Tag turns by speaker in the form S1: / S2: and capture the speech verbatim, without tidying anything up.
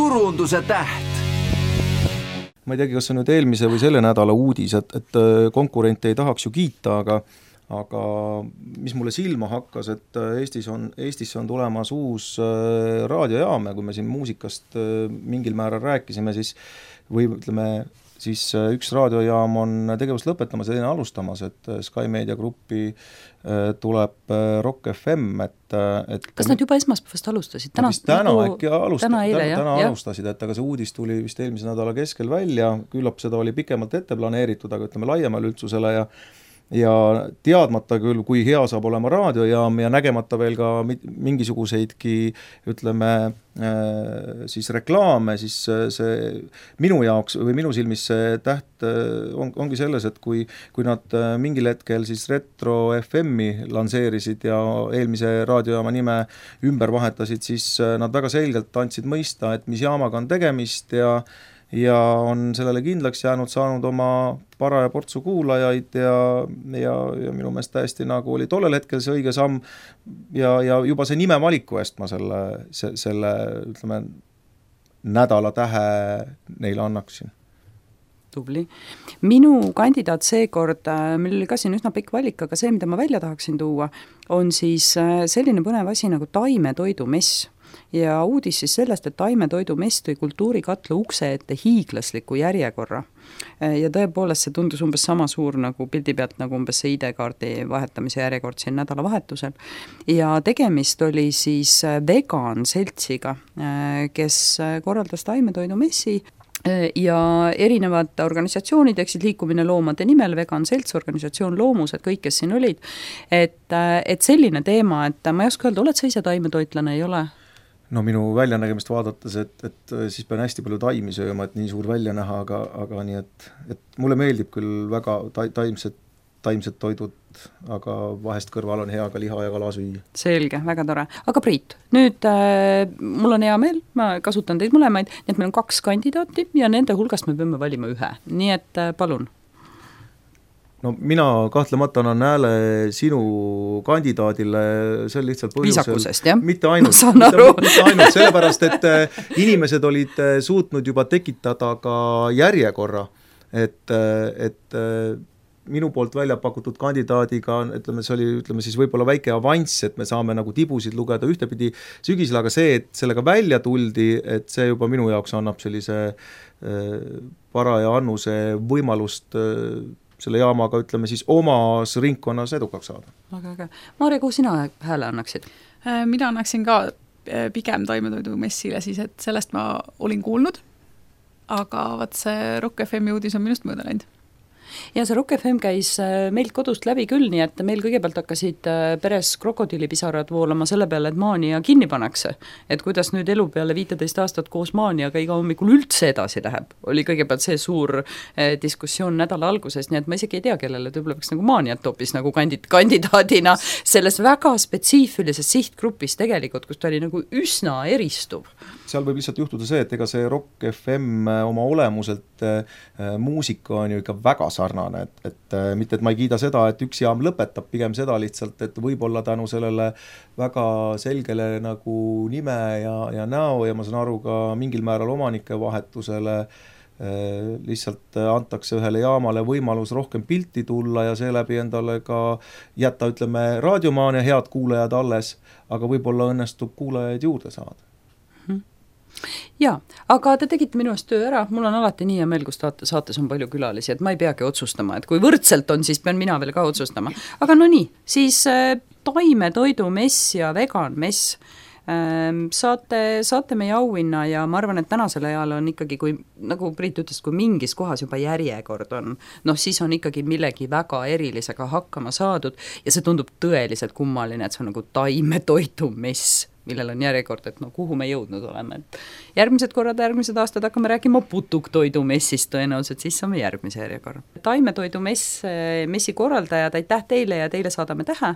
S1: turunduse täht.
S2: Ma ei teagi, kas on nüüd eelmise või selle nädala uudis, et, et konkurente ei tahaks ju kiita, aga aga mis mulle silma hakkas, et Eestis on, Eestisse on tulemas uus raadiojaam ja kui me siin muusikast mingil määral rääkisime, siis või ütleme, siis üks raadiojaam on tegevust lõpetamas ja teine alustamas, et Sky Media Grupi tuleb Rock F M, et, et
S3: kas nad juba esmaspäevast alustasid?
S2: Täna, täna nagu, äkki alusta,
S3: täna, eile,
S2: täna, täna alustasid, et aga see uudis tuli vist eelmise nädala keskel välja, küllap seda oli pikemalt ette planeeritud, aga ütleme laiemale üldsusele ja ja teadmata küll, kui hea saab olema raadiojaam ja nägemata veel ka mingisuguseidki, ütleme, siis reklaame, siis see minu jaoks või minu silmis see täht on, ongi selles, et kui, kui nad mingil hetkel siis Retro F M-i lanseerisid ja eelmise raadiojaama nime ümber vahetasid, siis nad väga selgelt andsid mõista, et mis jaamaga on tegemist ja ja on sellele kindlaks jäänud, saanud oma paraja portsu kuulajaid ja, ja, ja minu meelest täiesti nagu oli tollel hetkel see õige samm ja, ja juba see nime valiku eest ma selle, se, selle ütleme, nädala tähe neile annaksin.
S3: Tubli. Minu kandidaat seekord, meil oli ka siin üsna pikk valik, aga see, mida ma välja tahaksin tuua, on siis selline põnev asi nagu taimetoidumess. Ja uudis siis sellest, et taimetoidumess tõi kultuurikatla ukse ette hiiglasliku järjekorra. Ja tõepoolest see tundus umbes sama suur nagu pildi pealt nagu umbes see I D-kaardi vahetamise järjekord siin nädalavahetusel. Ja tegemist oli siis vegan seltsiga, kes korraldas taimetoidumessi ja erinevad organisatsioonid, eksid liikumine loomade nimel, vegan selts, organisatsioon Loomused, kõik, kes siin olid, et, et selline teema, et ma ei oska öelda, oled sa ise taimetoitlane, ei ole?
S2: No minu väljanägemist vaadates, et, et siis pean hästi palju taimi sööma, et nii suur välja näha, aga, aga nii, et, et mulle meeldib küll väga ta, taimsed, taimsed toidud, aga vahest kõrval on hea ka liha ja kala süüa.
S3: Selge, väga tore. Aga Priit, nüüd äh, mul on hea meel, ma kasutan teid mõlemaid, nii et meil on kaks kandidaati ja nende hulgast me peame valima ühe. Nii et äh, palun.
S2: No mina kahtlemata annan hääle sinu kandidaadile sel lihtsalt põhjusel.
S3: Viisakusest, jah?
S2: Mitte ainult, mitte, mitte ainult sellepärast, et inimesed olid suutnud juba tekitada ka järjekorra, et, et minu poolt välja pakutud kandidaadiga, ütleme, see oli ütleme, siis võib-olla väike avanss, et me saame nagu tibusid lugeda ühtepidi sügisel, aga see, et sellega välja tuldi, et see juba minu jaoks annab sellise paraja annuse võimalust selle jaamaga, ütleme siis omas ringkonnas edukaks saada.
S3: Väga äge. Maarja, kuhu sina hääle annaksid?
S4: Mina annaksin ka pigem taimetoidumessile siis, et sellest ma olin kuulnud, aga vaat see Rock F M uudis on minust mööda läinud.
S3: Ja see Rock F M käis meilt kodust läbi küll, nii et meil kõigepealt hakkasid peres krokodillipisarad voolama selle peale, et maania kinni pannakse. Et kuidas nüüd elu peale viiteist aastat koos maaniaga iga hommikul üldse edasi läheb. Oli kõigepealt see suur diskussioon nädala alguses, nii et ma isegi ei tea, kellele võib-olla peaks nagu maaniat hoopis nagu kandid, kandidaadina selles väga spetsiifilises sihtgrupis tegelikult, kus ta oli nagu üsna eristuv.
S2: Seal võib lihtsalt juhtuda see, et ega see Rock F M oma olemuselt muusika on ju ikka väga sarnane, et, et mitte, et ma ei kiida seda, et üks jaam lõpetab, pigem seda lihtsalt, et võib-olla tänu sellele väga selgele nagu nime ja, ja näo ja ma saan aru ka mingil määral omanike vahetusele lihtsalt antakse ühele jaamale võimalus rohkem pilti tulla ja seeläbi endale ka jätta, ütleme, raadiomaania head kuulajad alles, aga võib-olla õnnestub kuulajaid juurde saada.
S3: Jaa, aga te tegite minu eest töö ära, mul on alati nii ja meil, kus saates on palju külalisi, et ma ei peagi otsustama, et kui võrdselt on, siis pean mina veel ka otsustama. Aga no nii, siis äh, taimetoidumess ja veganmess äh, saate, saate meie auhinna ja ma arvan, et tänasel ajal on ikkagi, kui, nagu Priit ütles, kui mingis kohas juba järjekord on, noh siis on ikkagi millegi väga erilisega hakkama saadud ja see tundub tõeliselt kummaline, et see on nagu taimetoidumess, millel on järjekord, et no kuhu me jõudnud oleme. Et järgmised korrad, järgmised aastad hakkame rääkima putuktoidumessist tõenäoliselt, siis saame järgmise järjekorra. Taimetoidumess, messi korraldajad, aitäh teile ja teile saadame tähe.